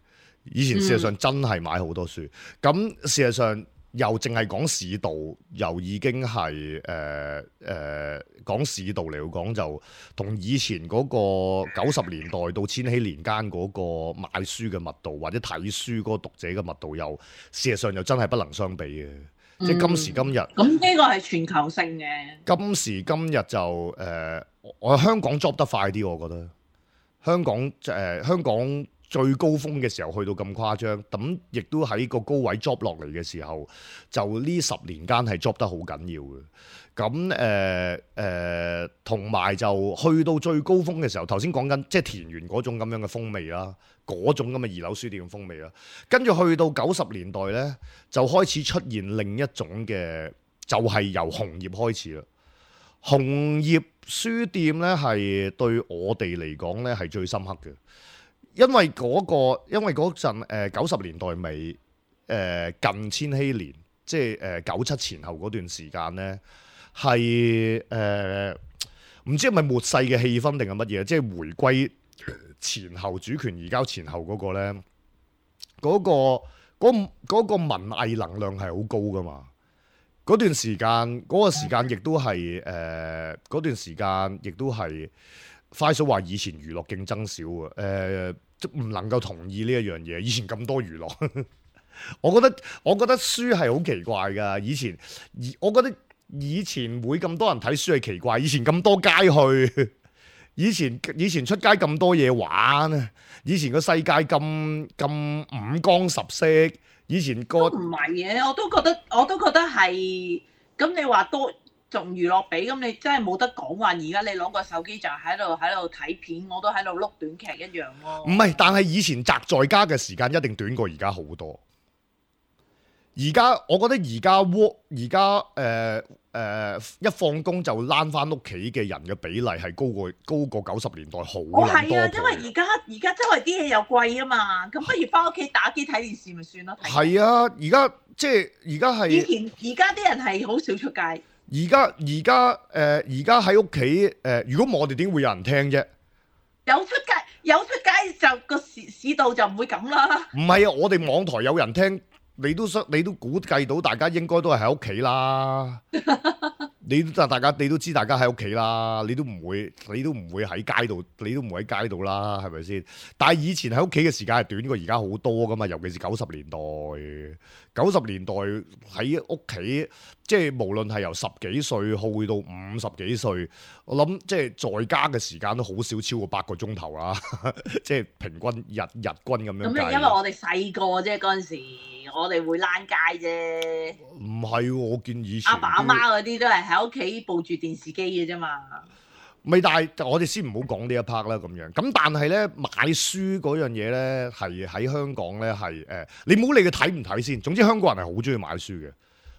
Speaker 2: 以前事實上真係買好多書。咁、嗯、事實上又淨係講市道，又已經係誒誒講市道嚟講，就同以前嗰個九十年代到千禧年間嗰個買書嘅密度，或者睇書嗰個讀者嘅密度，又事實上又真係不能相比嘅。嗯、即係今時今日，咁
Speaker 3: 呢個係全球性嘅。
Speaker 2: 今時今日就誒、呃，我香港 drop 得快啲，我覺得。香港誒、呃、香港最高峰嘅時候去到咁誇張，咁亦都喺個高位 drop 落嚟嘅時候，就呢十年間係 drop 得好緊要嘅。咁誒誒，同、呃、埋、呃、就去到最高峰嘅時候，頭先講緊即係田園嗰種咁樣嘅風味啦，嗰種咁嘅二樓書店嘅風味啦。跟住去到九十年代咧，就開始出現另一種嘅，就係、是、由紅葉開始啦。紅葉書店咧係對我哋嚟講咧係最深刻嘅，因為嗰、那個因為嗰陣誒九十年代尾誒、呃、近千禧年，即係誒九七前後嗰段時間咧係誒唔知係咪末世嘅氣氛定係乜嘢？即係回歸前後主權移交前後嗰個咧，嗰、那個嗰、那個文藝能量係好高噶嘛。嗰段時間，嗰、嗰個時間亦都係誒，嗰段時間亦都係快數話以前娛樂競爭少啊，誒、呃，即唔能夠同意呢一樣嘢。以前咁多娛樂，我覺得我覺得書係好奇怪㗎。以前，我覺得以前會咁多人睇書係奇怪。以前咁多街去，以前以前出街咁多嘢玩，以前個世界咁咁五光十色。以前個
Speaker 3: 唔係嘅，我都覺得我都覺得係。咁你話多仲娛樂比，咁你真係冇得講話。而家你攞個手機就喺度喺度睇片，我都喺度碌短劇一樣咯。
Speaker 2: 唔係，但係以前宅在家嘅時間一定短過而家好多。而家我覺得而家 work 而家誒誒一放工就躝翻屋企嘅人嘅比例係高過高過九十年代好多。
Speaker 3: 哦，係啊，因為而家而家周圍啲嘢又貴啊嘛，咁不如翻屋企打機睇電視咪算咯。
Speaker 2: 係啊，而家即係而家係
Speaker 3: 以前而家啲人係好少出街。
Speaker 2: 而家而家誒而家喺屋企誒，如果唔係我哋點會有人聽啫？
Speaker 3: 有出街有出街就個市市道就唔會咁啦。
Speaker 2: 唔係啊，我哋網台有人聽，你都你都估計到大家應該都係喺屋企啦。你都大家你都知大家喺屋企啦，你都唔會你都唔會喺街度，你都唔會喺街度啦，係咪先？但係以前喺屋企嘅時間係短過而家好多噶嘛，尤其是九十年代。九十年代喺屋企，即係無論係由十幾歲去到五十幾歲，我諗即係在家嘅時間都好少超過八個鐘頭啦。即係平均日日均咁樣。
Speaker 3: 咁因為我哋細個啫，嗰陣時我哋會躝街啫。唔
Speaker 2: 係，我見以前
Speaker 3: 阿爸阿媽嗰啲都係喺屋企抱住電視機嘅啫嘛。
Speaker 2: 咪但係我哋先唔好講呢一 part 啦，咁樣咁但係咧買書嗰樣嘢咧係喺香港咧係誒，你唔好理佢睇唔睇先。總之香港人係好中意買書嘅，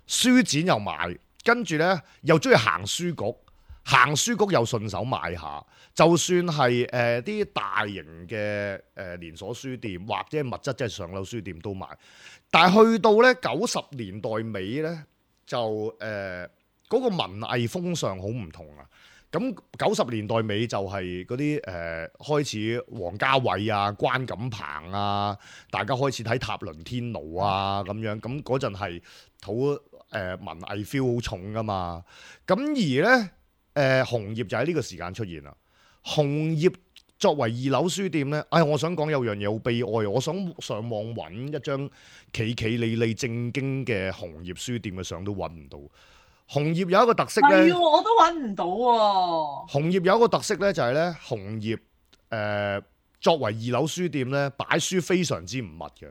Speaker 2: 書展又買，跟住咧又中意行書局，行書局又順手買下。就算係誒啲大型嘅誒、呃、連鎖書店或者物質即係上樓書店都買。但係去到咧九十年代尾咧就誒嗰、呃嗰個文藝風尚好唔同啊。咁九十年代尾就係嗰啲誒開始，王家衛啊、關錦鵬啊，大家開始睇塔倫天奴啊咁樣，咁嗰陣係好誒文藝 feel 好重噶嘛。咁而咧誒、呃、紅葉就喺呢個時間出現啦。紅葉作為二樓書店咧，哎，我想講有樣嘢好悲哀，我想上網揾一張企企理理正經嘅紅葉書店嘅相都揾唔到。紅葉有一個特色咧，
Speaker 3: 係我都揾唔到喎。
Speaker 2: 紅葉有一個特色咧，就係咧紅葉誒作為二樓書店咧，擺書非常之唔密嘅。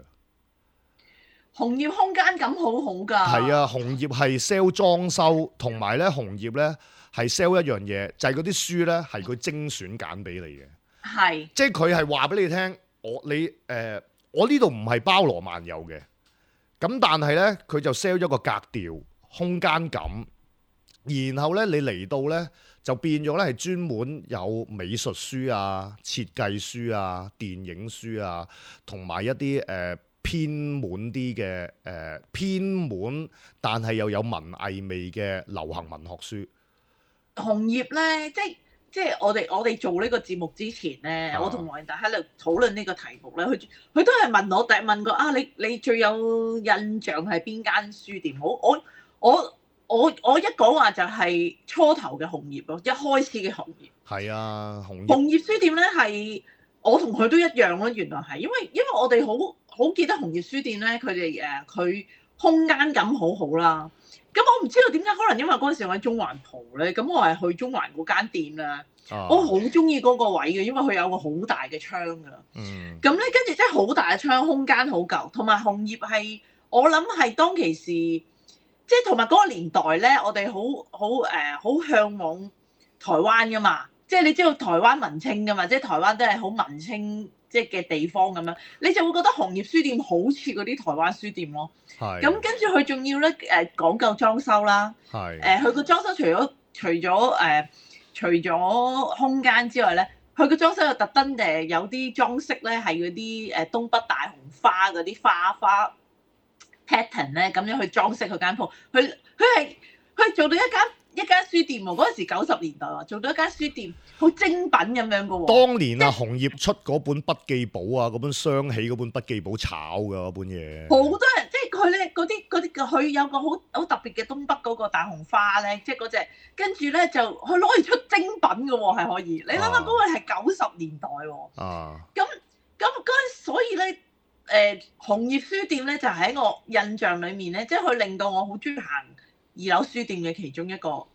Speaker 3: 紅葉空間感好好㗎。
Speaker 2: 係啊，紅葉係 sell 裝修，同埋咧紅葉咧係 sell 一樣嘢，就係嗰啲書咧係佢精選揀俾你嘅。
Speaker 3: 係，
Speaker 2: 即係佢係話俾你聽，我你誒、呃、我呢度唔係包羅萬有嘅，咁但係咧佢就 sell 一個格調。空間感，然後咧你嚟到咧就變咗咧係專門有美術書啊、設計書啊、電影書啊，同埋一啲誒、呃、偏門啲嘅誒偏門，但係又有文藝味嘅流行文學書。
Speaker 3: 紅葉咧，即係即係我哋我哋做呢個節目之前咧，啊、我同黃仁達喺度討論呢個題目咧，佢佢都係問我，第問過啊，你你最有印象係邊間書店？我我。我我我一講話就係初頭嘅紅葉咯，一開始嘅紅葉。係
Speaker 2: 啊，紅葉。
Speaker 3: 紅葉書店咧係我同佢都一樣咯，原來係因為因為我哋好好記得紅葉書店咧，佢哋誒佢空間感好好啦。咁我唔知道點解，可能因為嗰陣時我喺中環蒲咧，咁我係去中環嗰間店啦。啊、我好中意嗰個位嘅，因為佢有個好大嘅窗㗎。嗯。咁咧，跟住即係好大嘅窗，空間好夠，同埋紅葉係我諗係當其時。即係同埋嗰個年代咧，我哋好好誒好向往台灣噶嘛。即係你知道台灣文青噶嘛，即係台灣都係好文青即係嘅地方咁樣，你就會覺得紅葉書店好似嗰啲台灣書店咯。係是。咁跟住佢仲要咧誒講究裝修啦。係是。誒佢個裝修除咗除咗誒、呃、除咗空間之外咧，佢個裝修又特登誒有啲裝飾咧係嗰啲誒東北大紅花嗰啲花花。pattern 咧咁樣去裝飾佢間鋪，佢佢係佢做到一間一間書店喎。嗰陣時九十年代喎，做到一間書店，好精品咁樣嘅喎。當年啊，
Speaker 2: 即紅葉出嗰本筆記簿啊，嗰本雙喜嗰本筆記簿炒㗎嗰本嘢。
Speaker 3: 好多人即係佢咧嗰啲嗰啲佢有個好好特別嘅東北嗰個大紅花咧，即係嗰隻，跟住咧就佢攞嚟出精品嘅喎，係可以。你諗下嗰個係九十年代喎。啊。咁咁嗰陣，所以咧。誒、呃、紅葉書店咧就喺、是、我印象裏面咧，即係佢令到我好中意行二樓書店嘅其中一個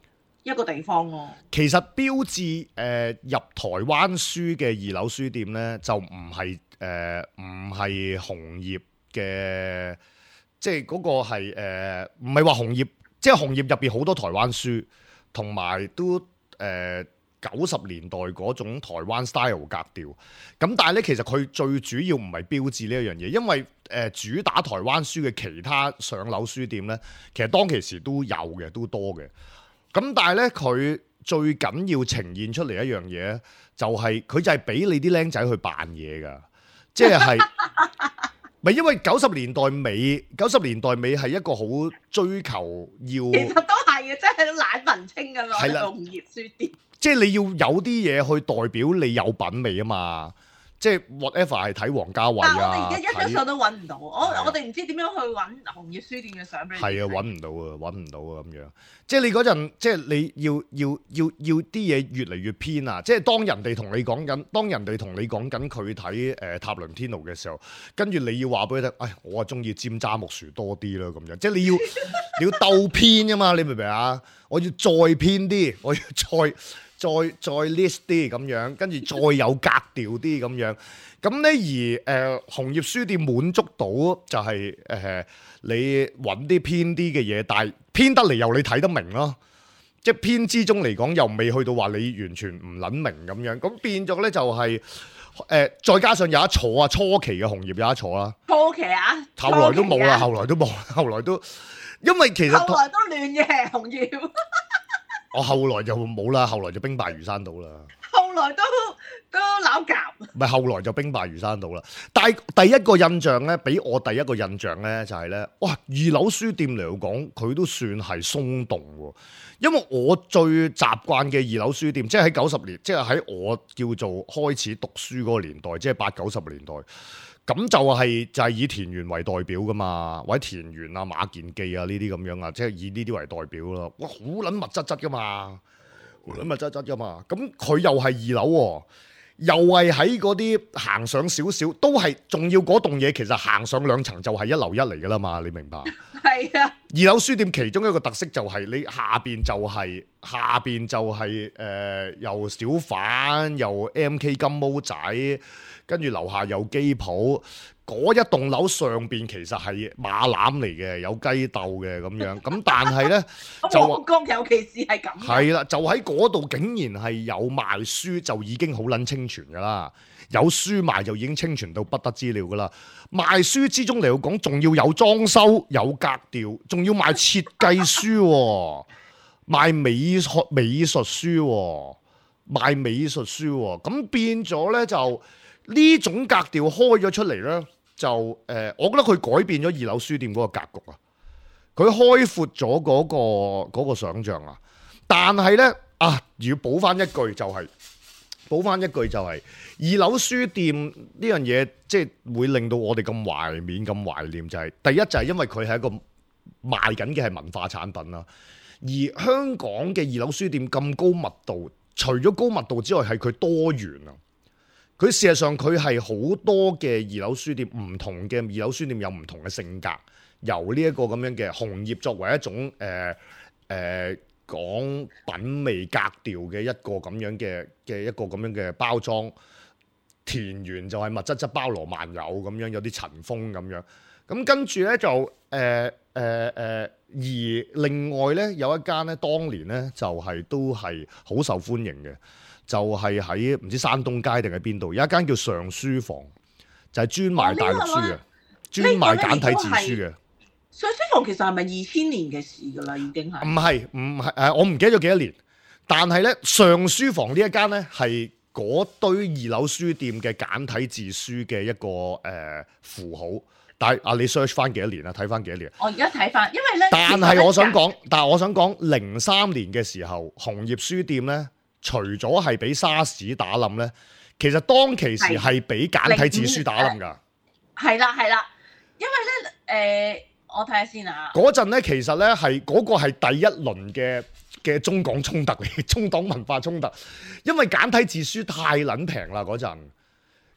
Speaker 3: 一個地方咯。
Speaker 2: 其實標誌誒、呃、入台灣書嘅二樓書店咧，就唔係誒唔係紅葉嘅，即係嗰個係誒唔係話紅葉，即係紅葉入邊好多台灣書，同埋都誒。呃九十年代嗰種台灣 style 格調，咁但係咧，其實佢最主要唔係標誌呢一樣嘢，因為誒、呃、主打台灣書嘅其他上樓書店咧，其實當其時都有嘅，都多嘅。咁但係咧，佢最緊要呈現出嚟一樣嘢，就係、是、佢就係俾你啲僆仔去扮嘢㗎，即係咪因為九十年代尾，九十年代尾係一個好追求要。
Speaker 3: 其實都係啊，真係懶文青㗎嘛，
Speaker 2: 係啦，
Speaker 3: 紅葉書店。
Speaker 2: 即係你要有啲嘢去代表你有品味啊嘛。即係 whatever 係睇王家衛啊，
Speaker 3: 但係我哋而家一張相都揾唔到，我
Speaker 2: 啊
Speaker 3: 我哋唔知點樣去揾紅葉書店嘅相俾你睇。
Speaker 2: 係啊，揾唔到啊，揾唔到啊咁樣。即係你嗰陣，即係你要要要要啲嘢越嚟越偏啊！即係當人哋同你講緊，當人哋同你講緊佢睇誒塔倫天奴嘅時候，跟住你要話俾佢聽，唉，我啊中意尖揸木薯多啲啦咁樣。即係你要你要鬥偏㗎嘛，你明唔明啊？我要再偏啲，我要再。再再 list 啲咁樣，跟住再有格調啲咁樣，咁咧而誒、呃、紅葉書店滿足到就係、是、誒、呃、你揾啲偏啲嘅嘢，但係偏得嚟又你睇得明咯，即係偏之中嚟講又未去到話你完全唔撚明咁樣，咁變咗咧就係、是、誒、呃、再加上有一坐啊，初期嘅紅葉有一坐啦，
Speaker 3: 初期啊，
Speaker 2: 後來都冇啦、啊，後來都冇，後來都因為其實
Speaker 3: 後來都亂嘅紅葉。
Speaker 2: 我後來就冇啦，後來就兵敗如山倒啦。
Speaker 3: 後來都都扭夾。
Speaker 2: 唔係後來就兵敗如山倒啦。但係第一個印象咧，俾我第一個印象咧就係、是、咧，哇！二樓書店嚟講，佢都算係鬆動喎。因為我最習慣嘅二樓書店，即係喺九十年，即係喺我叫做開始讀書嗰個年代，即係八九十年代。咁就係、是、就係、是、以田園為代表噶嘛，或者田園啊、馬健記啊呢啲咁樣啊，即係以呢啲為代表咯。哇，好撚密質質噶嘛，好撚密質質噶嘛。咁佢又係二樓喎，又係喺嗰啲行上少少，都係仲要嗰棟嘢。其實行上兩層就係一樓一嚟噶啦嘛，你明白？
Speaker 3: 係啊。二
Speaker 2: 樓書店其中一個特色就係你下邊就係、是、下邊就係、是、誒、呃、又小販又 M K 金毛仔。跟住樓下有機鋪，嗰一棟樓上邊其實係馬欄嚟嘅，有雞竇嘅咁樣。咁但係呢，就
Speaker 3: 旺角尤其是係咁。
Speaker 2: 係啦，就喺嗰度竟然係有賣書，就已經好撚清泉噶啦。有書賣就已經清泉到不得之了噶啦。賣書之中嚟講，仲要有裝修、有格調，仲要賣設計書、哦，賣美術美術書、哦，賣美術書、哦。咁變咗呢，就。呢種格調開咗出嚟呢，就誒、呃，我覺得佢改變咗二樓書店嗰個格局啊，佢開闊咗嗰個嗰個想像啊。但係呢，啊，要補翻一句就係、是，補翻一句就係、是、二樓書店呢樣嘢，即係會令到我哋咁懷緬、咁懷念、就是，就係第一就係因為佢係一個賣緊嘅係文化產品啦。而香港嘅二樓書店咁高密度，除咗高密度之外，係佢多元啊。佢事實上佢係好多嘅二樓書店，唔同嘅二樓書店有唔同嘅性格，由呢一個咁樣嘅紅葉作為一種誒誒、呃呃、講品味格調嘅一個咁樣嘅嘅一個咁樣嘅包裝，田園就係密質質包羅萬有咁樣，有啲塵封咁樣，咁跟住咧就誒誒誒，而另外咧有一間咧，當年咧就係、是、都係好受歡迎嘅。就係喺唔知山東街定喺邊度，有一間叫上書房，就係、是、專賣大陸書嘅，專賣簡體字書嘅。
Speaker 3: 上書房其實係咪二千年嘅事㗎啦？已經係。唔
Speaker 2: 係唔係誒？我唔記得咗幾多年，但係咧上書房呢一間咧係嗰堆二樓書店嘅簡體字書嘅一個誒、呃、符號。但係啊，你 search 翻幾多年啊？睇翻幾多年？
Speaker 3: 我而家睇翻，因為咧。
Speaker 2: 但係我想講，但係我想講，零三年嘅時候，紅葉書店咧。除咗係俾沙士打冧咧，其實當其時係俾簡體字書打冧㗎。
Speaker 3: 係啦係啦，因為咧誒、呃，我睇下先啊。
Speaker 2: 嗰陣咧，其實咧係嗰個係第一輪嘅嘅中港衝突嚟，中港文化衝突，因為簡體字書太撚平啦嗰陣。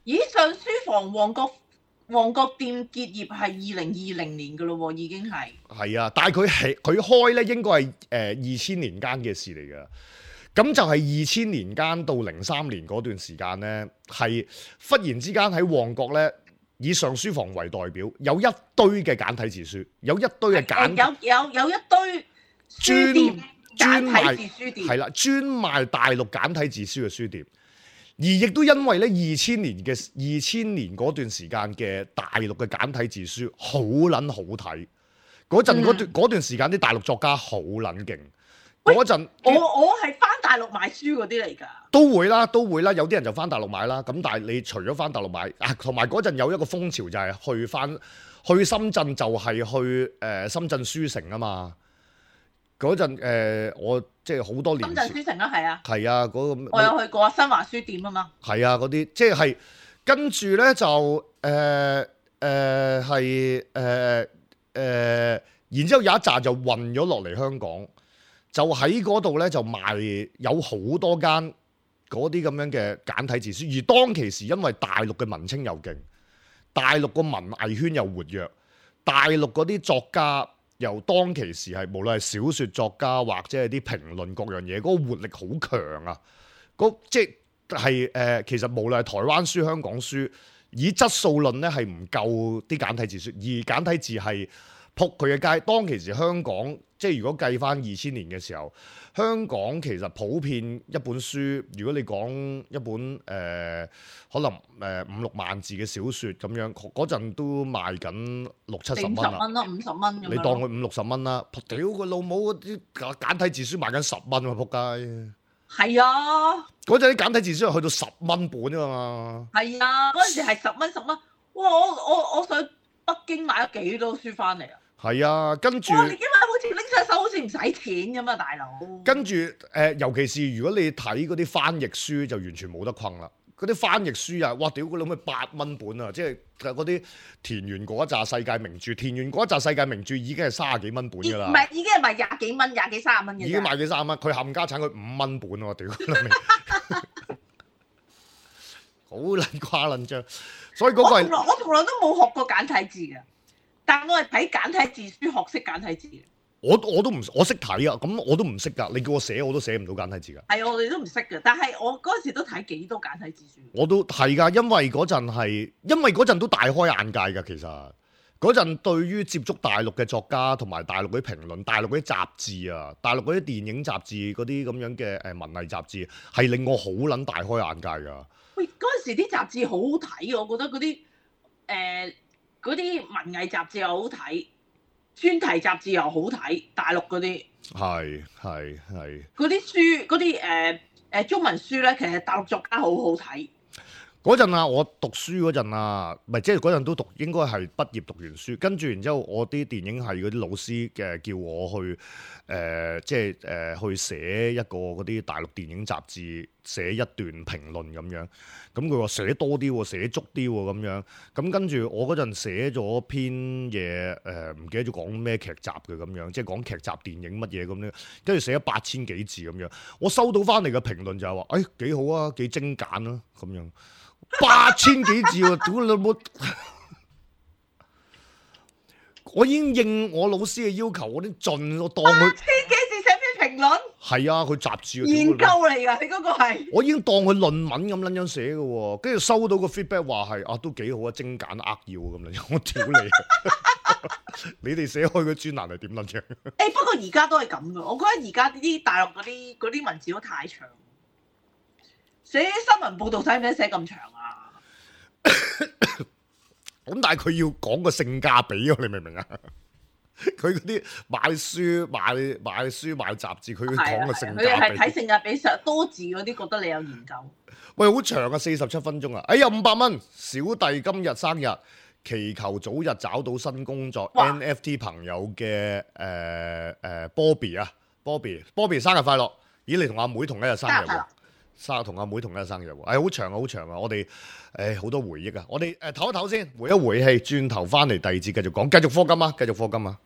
Speaker 3: 咦？上書房旺角旺角店結業係二零二零年㗎咯喎，已經係。係
Speaker 2: 啊，但係佢係佢開咧應該係誒二千年間嘅事嚟㗎。咁就係二千年間到零三年嗰段時間呢，係忽然之間喺旺角呢，以上書房為代表，有一堆嘅簡體字書，有一堆嘅簡
Speaker 3: 有有有一堆書店專簡體字書店，
Speaker 2: 係啦，專賣大陸簡體字書嘅書店。而亦都因為呢二千年嘅二千年嗰段時間嘅大陸嘅簡體字書好撚好睇，嗰陣嗰段嗰段時間啲大陸作家好撚勁。嗰陣
Speaker 3: 我我係翻大陸買書嗰啲嚟㗎，
Speaker 2: 都會啦，都會啦。有啲人就翻大陸買啦。咁但係你除咗翻大陸買啊，同埋嗰陣有一個風潮就係去翻去深圳，就係去誒、呃、深圳書城啊嘛。嗰陣誒，我即係好多年前。
Speaker 3: 深圳書城啊，係啊。
Speaker 2: 係啊，嗰個
Speaker 3: 我有去過新華書店啊嘛。
Speaker 2: 係啊，嗰啲即係跟住咧就誒誒係誒誒，然之後有一紮就運咗落嚟香港，就喺嗰度咧就賣有好多間嗰啲咁樣嘅簡體字書，而當其時因為大陸嘅文青又勁，大陸個文藝圈又活躍，大陸嗰啲作家。由當其時係無論係小説作家或者係啲評論各樣嘢，嗰、那個活力好強啊！嗰即係誒、呃，其實無論係台灣書、香港書，以質素論咧係唔夠啲簡體字書，而簡體字係撲佢嘅街。當其時香港即係如果計翻二千年嘅時候，香港其實普遍一本書，如果你講一本誒、呃、可能誒五六萬字嘅小説咁樣，嗰陣都賣緊六七十蚊啦。五十蚊
Speaker 3: 咯，五十蚊。
Speaker 2: 你當佢五六十蚊啦，屌佢老母嗰啲簡體字書賣緊十蚊喎，仆街！
Speaker 3: 係啊，
Speaker 2: 嗰陣啲簡體字書係去到十蚊本㗎嘛。
Speaker 3: 係啊，嗰陣時係十蚊十蚊。哇！我我我上北京買咗幾多書翻嚟啊！
Speaker 2: 係啊，跟住。哇！
Speaker 3: 你今日好似拎上手好似唔使錢咁啊，大佬。
Speaker 2: 跟住誒、呃，尤其是如果你睇嗰啲翻譯書，就完全冇得困啦。嗰啲翻譯書啊，哇！屌佢老母八蚊本啊，即係嗰啲田園嗰一紮世界名著，田園嗰一紮世界名著已經係三十幾蚊本㗎啦。唔
Speaker 3: 係，已經係賣廿幾蚊、廿幾三十蚊嘅。
Speaker 2: 已經賣幾三十蚊，佢冚家產佢五蚊本喎，屌佢老味！好撚誇撚張，所以嗰個係
Speaker 3: 我從來都冇學過簡體字嘅。但我係睇簡體字書學識簡體字嘅。
Speaker 2: 我我都唔我識睇啊，咁我都唔識㗎。你叫我寫我都寫唔到簡體字㗎。
Speaker 3: 係啊，我哋都唔識嘅。但係我嗰陣時都睇幾多簡體字書。
Speaker 2: 我都係㗎，因為嗰陣係因為嗰陣都大開眼界㗎。其實嗰陣對於接觸大陸嘅作家同埋大陸嗰啲評論、大陸嗰啲雜誌啊、大陸嗰啲電影雜誌嗰啲咁樣嘅誒文藝雜誌，係令我好撚大開眼界㗎。
Speaker 3: 喂，嗰陣時啲雜誌好好睇啊！我覺得嗰啲誒。呃嗰啲文藝雜誌又好睇，專題雜誌又好睇，大陸嗰啲
Speaker 2: 係係係
Speaker 3: 嗰啲書嗰啲誒誒中文書咧，其實大陸作家好好睇。
Speaker 2: 嗰陣啊，我讀書嗰陣啊，唔係即係嗰陣都讀，應該係畢業讀完書，跟住然之後我啲電影系嗰啲老師嘅叫我去誒、呃，即係誒、呃、去寫一個嗰啲大陸電影雜誌，寫一段評論咁樣。咁佢話寫多啲喎，寫足啲喎咁樣。咁跟住我嗰陣寫咗篇嘢，誒、呃、唔記得咗講咩劇集嘅咁樣，即係講劇集電影乜嘢咁樣。跟住寫咗八千幾字咁樣，我收到翻嚟嘅評論就係話，誒、哎、幾好啊，幾精簡啊咁樣。八千幾字喎，屌你老母！我已經應我老師嘅要求，我啲盡我當佢
Speaker 3: 八千幾字寫篇評論。
Speaker 2: 係啊，佢雜誌
Speaker 3: 研究嚟㗎，你嗰個係。我已經
Speaker 2: 當佢論文咁撚樣寫嘅喎，跟住收到個 feedback 話係啊，都幾好啊，精簡扼要咁樣。我屌你！你哋寫開個專欄係點撚樣？誒、
Speaker 3: 欸，不過而家都係咁嘅，我覺得而家啲大陸嗰啲嗰啲文字都太長。寫新聞報導使唔使寫咁長啊？
Speaker 2: 咁但係佢要講個性價比啊，你明唔明啊？佢嗰啲買書買買書買雜誌，佢要講個性價比。佢
Speaker 3: 係睇性價比，上多字嗰啲覺得你有研究。
Speaker 2: 喂，好長啊，四十七分鐘啊！哎呀，五百蚊，小弟今日生日，祈求早日找到新工作。N F T 朋友嘅誒誒 Bobby 啊 ，Bobby，Bobby 生日快樂！咦，你同阿妹同一日生日喎？生同阿妹同一日生日喎，哎，好長啊，好長啊！我哋誒好多回憶啊，我哋誒唞一唞先，回一回氣，轉頭翻嚟第二節繼續講，繼續課金啊，繼續課金啊！